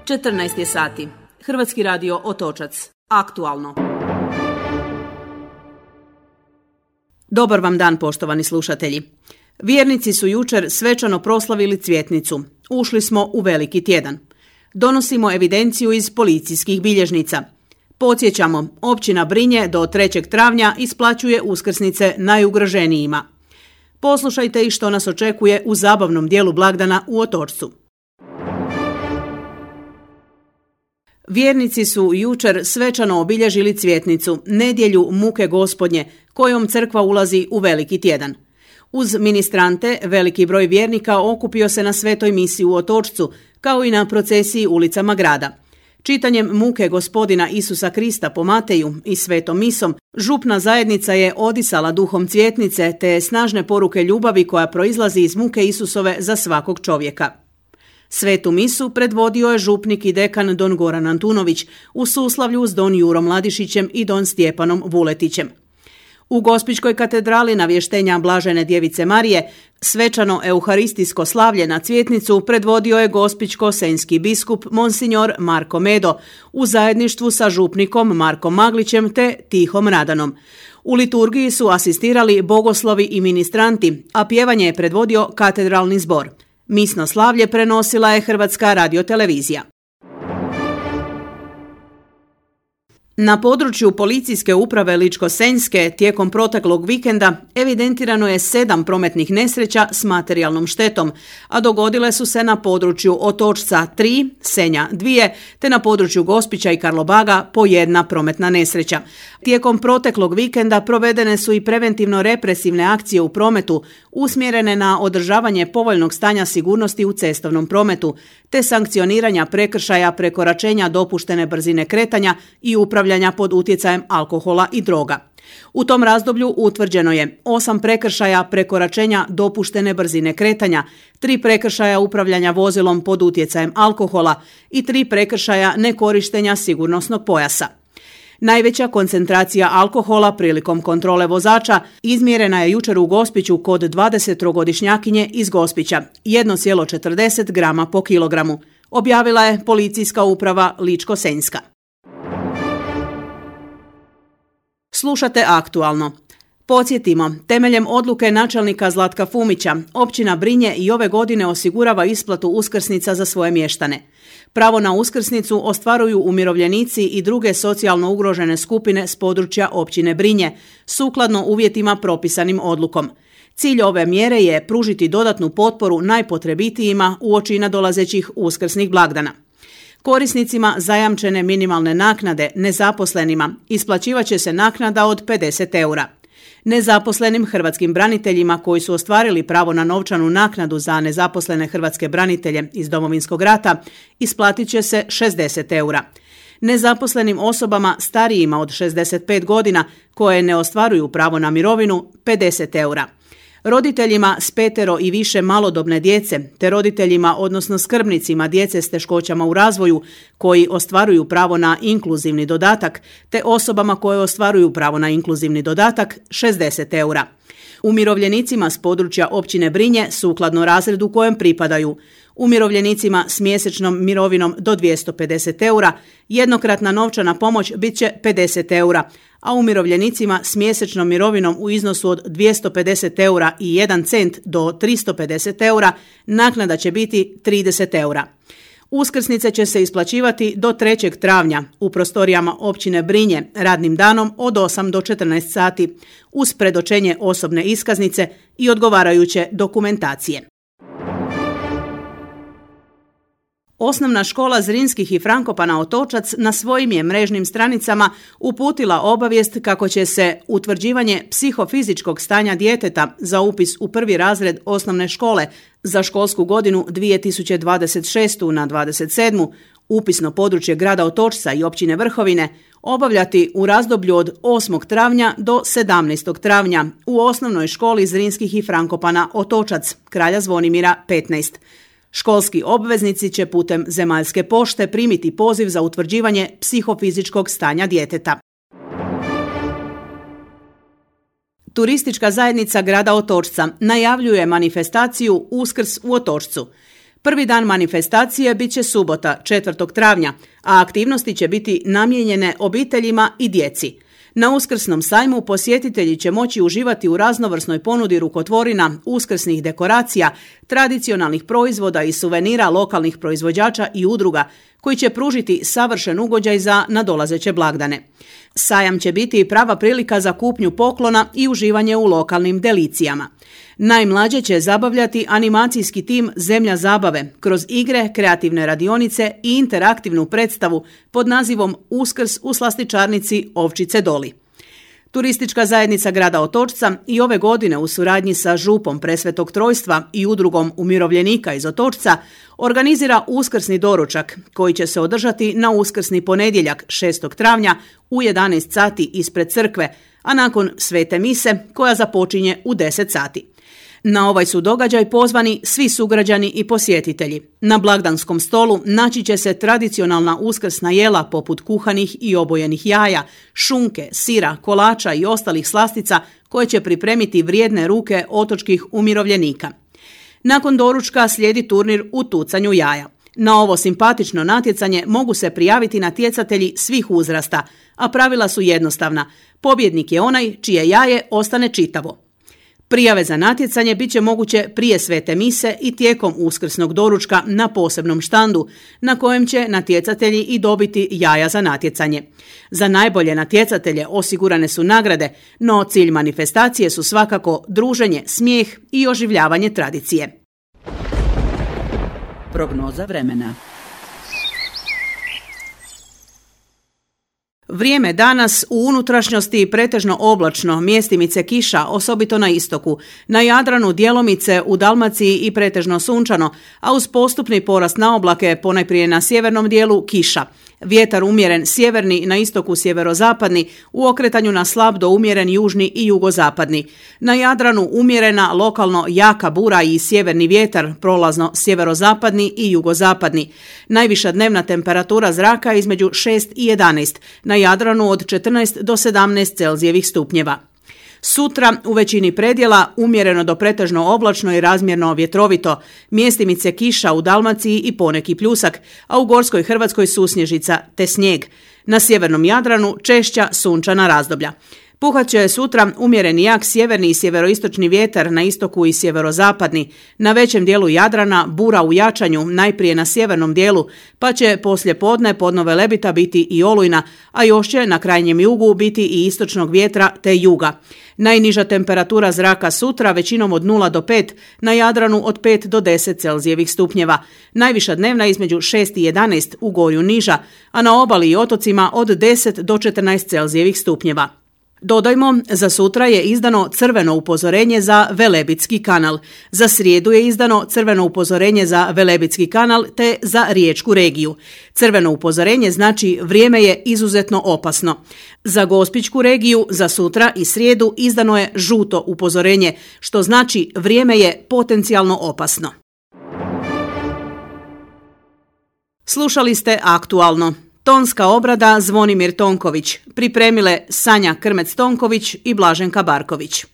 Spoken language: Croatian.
14 je sati. Hrvatski radio Otočac. Aktualno. Dobar vam dan, poštovani slušatelji. Vjernici su jučer svečano proslavili Cvjetnicu. Ušli smo u veliki tjedan. Donosimo evidenciju iz policijskih bilježnica. Podsjećamo, općina Brinje do 3. travnja isplaćuje uskrsnice najugroženijima. Poslušajte i što nas očekuje u zabavnom dijelu blagdana u Otočcu. Vjernici su jučer svečano obilježili Cvjetnicu, nedjelju muke Gospodnje, kojom crkva ulazi u veliki tjedan. Uz ministrante, veliki broj vjernika okupio se na svetoj misi u Otočcu, kao i na procesiji ulicama grada. Čitanjem muke Gospodina Isusa Krista po Mateju i svetom misom, župna zajednica je odisala duhom Cvjetnice te snažne poruke ljubavi koja proizlazi iz muke Isusove za svakog čovjeka. Svetu misu predvodio je župnik i dekan don Goran Antunović u suslavlju s don Jurom Ladišićem i don Stjepanom Vuletićem. U Gospićkoj katedrali navještenja Blažene djevice Marije svečano euharistijsko slavlje na Cvjetnicu predvodio je gospićko-senjski biskup Monsignor Marko Medo u zajedništvu sa župnikom Markom Maglićem te Tihom Radanom. U liturgiji su asistirali bogoslovi i ministranti, a pjevanje je predvodio katedralni zbor. Misno slavlje prenosila je Hrvatska radiotelevizija. Na području policijske uprave Ličko-senjske tijekom proteklog vikenda evidentirano je 7 prometnih nesreća s materijalnom štetom, a dogodile su se na području Otočca 3, Senja 2, te na području Gospića i Karlobaga po 1 prometna nesreća. Tijekom proteklog vikenda provedene su i preventivno-represivne akcije u prometu usmjerene na održavanje povoljnog stanja sigurnosti u cestovnom prometu, te sankcioniranja prekršaja prekoračenja dopuštene brzine kretanja i upravljanja pod utjecajem alkohola i droga. U tom razdoblju utvrđeno je 8 prekršaja prekoračenja dopuštene brzine kretanja, 3 prekršaja upravljanja vozilom pod utjecajem alkohola i 3 prekršaja nekorištenja sigurnosnog pojasa. Najveća koncentracija alkohola prilikom kontrole vozača izmjerena je jučer u Gospiću kod 23-godišnjakinje iz Gospića, 1,40 grama po kilogramu, objavila je policijska uprava Ličko-senjska. Slušate aktualno. Podsjetimo, temeljem odluke načelnika Zlatka Fumića, općina Brinje i ove godine osigurava isplatu uskrsnica za svoje mještane. Pravo na uskrsnicu ostvaruju umirovljenici i druge socijalno ugrožene skupine s područja općine Brinje, sukladno uvjetima propisanim odlukom. Cilj ove mjere je pružiti dodatnu potporu najpotrebitijima uoči nadolazećih uskrsnih blagdana. Korisnicima zajamčene minimalne naknade, nezaposlenima, isplaćivat će se naknada od 50 eura. Nezaposlenim hrvatskim braniteljima koji su ostvarili pravo na novčanu naknadu za nezaposlene hrvatske branitelje iz Domovinskog rata isplatit će se 60 eura. Nezaposlenim osobama starijima od 65 godina koje ne ostvaruju pravo na mirovinu 50 eura. Roditeljima s 5 i više malodobne djece, te roditeljima odnosno skrbnicima djece s teškoćama u razvoju koji ostvaruju pravo na inkluzivni dodatak, te osobama koje ostvaruju pravo na inkluzivni dodatak 60 eura. Umirovljenicima s područja općine Brinje sukladno razredu kojem pripadaju. Umirovljenicima s mjesečnom mirovinom do 250 eura jednokratna novčana pomoć bit će 50 eura, a umirovljenicima s mjesečnom mirovinom u iznosu od 250 eura i 1 cent do 350 eura naknada će biti 30 eura. Uskrsnice će se isplaćivati do 3. travnja u prostorijama općine Brinje radnim danom od 8 do 14 sati uz predočenje osobne iskaznice i odgovarajuće dokumentacije. Osnovna škola Zrinskih i Frankopana Otočac na svojim je mrežnim stranicama uputila obavijest kako će se utvrđivanje psihofizičkog stanja djeteta za upis u 1. razred osnovne škole za školsku godinu 2026. na 27. upisno područje grada Otočca i općine Vrhovine obavljati u razdoblju od 8. travnja do 17. travnja u osnovnoj školi Zrinskih i Frankopana Otočac, Kralja Zvonimira 15. Školski obveznici će putem zemaljske pošte primiti poziv za utvrđivanje psihofizičkog stanja djeteta. Turistička zajednica grada Otočca najavljuje manifestaciju Uskrs u Otočcu. Prvi dan manifestacije bit će subota, 4. travnja, a aktivnosti će biti namijenjene obiteljima i djeci. Na Uskrsnom sajmu posjetitelji će moći uživati u raznovrsnoj ponudi rukotvorina, uskrsnih dekoracija, tradicionalnih proizvoda i suvenira lokalnih proizvođača i udruga, koji će pružiti savršen ugođaj za nadolazeće blagdane. Sajam će biti prava prilika za kupnju poklona i uživanje u lokalnim delicijama. Najmlađe će zabavljati animacijski tim Zemlja zabave kroz igre, kreativne radionice i interaktivnu predstavu pod nazivom Uskrs u slastičarnici Ovčice Doli. Turistička zajednica grada Otočca i ove godine u suradnji sa župom Presvetog Trojstva i udrugom umirovljenika iz Otočca organizira uskrsni doručak koji će se održati na uskrsni ponedjeljak 6. travnja u 11 sati ispred crkve, a nakon svete mise koja započinje u 10 sati. Na ovaj su događaj pozvani svi sugrađani i posjetitelji. Na blagdanskom stolu naći će se tradicionalna uskrsna jela poput kuhanih i obojenih jaja, šunke, sira, kolača i ostalih slastica koje će pripremiti vrijedne ruke otočkih umirovljenika. Nakon doručka slijedi turnir u tucanju jaja. Na ovo simpatično natjecanje mogu se prijaviti natjecatelji svih uzrasta, a pravila su jednostavna. Pobjednik je onaj čije jaje ostane čitavo. Prijave za natjecanje bit će moguće prije svete mise i tijekom uskrsnog doručka na posebnom štandu, na kojem će natjecatelji i dobiti jaja za natjecanje. Za najbolje natjecatelje osigurane su nagrade, no cilj manifestacije su svakako druženje, smijeh i oživljavanje tradicije. Prognoza vremena. Vrijeme danas u unutrašnjosti pretežno oblačno, mjestimice kiša, osobito na istoku. Na Jadranu djelomice, u Dalmaciji i pretežno sunčano, a uz postupni porast na oblake, ponajprije na sjevernom dijelu kiša. Vjetar umjeren sjeverni, na istoku sjeverozapadni, u okretanju na slab do umjeren južni i jugozapadni. Na Jadranu umjerena, lokalno jaka bura i sjeverni vjetar, prolazno sjeverozapadni i jugozapadni. Najviša dnevna temperatura zraka između 6 i 11, na Jadranu od 14 do 17 Celzijevih stupnjeva. Sutra u većini predjela umjereno do pretežno oblačno i razmjerno vjetrovito, mjestimice kiša u Dalmaciji i poneki pljusak, a u Gorskoj Hrvatskoj susnježica te snijeg. Na sjevernom Jadranu češća sunčana razdoblja. Puhat će sutra umjereni jak sjeverni i sjeveroistočni vjetar na istoku i sjeverozapadni. Na većem dijelu Jadrana bura u jačanju, najprije na sjevernom dijelu, pa će poslije podne podnove lebita biti i olujna, a još će na krajnjem jugu biti i istočnog vjetra te juga. Najniža temperatura zraka sutra većinom od 0 do 5, na Jadranu od 5 do 10 Celzijevih stupnjeva. Najviša dnevna između 6 i 11, u Gorju niža, a na obali i otocima od 10 do 14 Celzijevih stupnjeva. Dodajmo, za sutra je izdano crveno upozorenje za Velebitski kanal. Za srijedu je izdano crveno upozorenje za Velebitski kanal te za Riječku regiju. Crveno upozorenje znači vrijeme je izuzetno opasno. Za Gospićku regiju za sutra i srijedu izdano je žuto upozorenje, što znači vrijeme je potencijalno opasno. Slušali ste Aktualno. Tonska obrada Zvonimir Tonković, pripremile Sanja Krmec-Tonković i Blaženka Barković.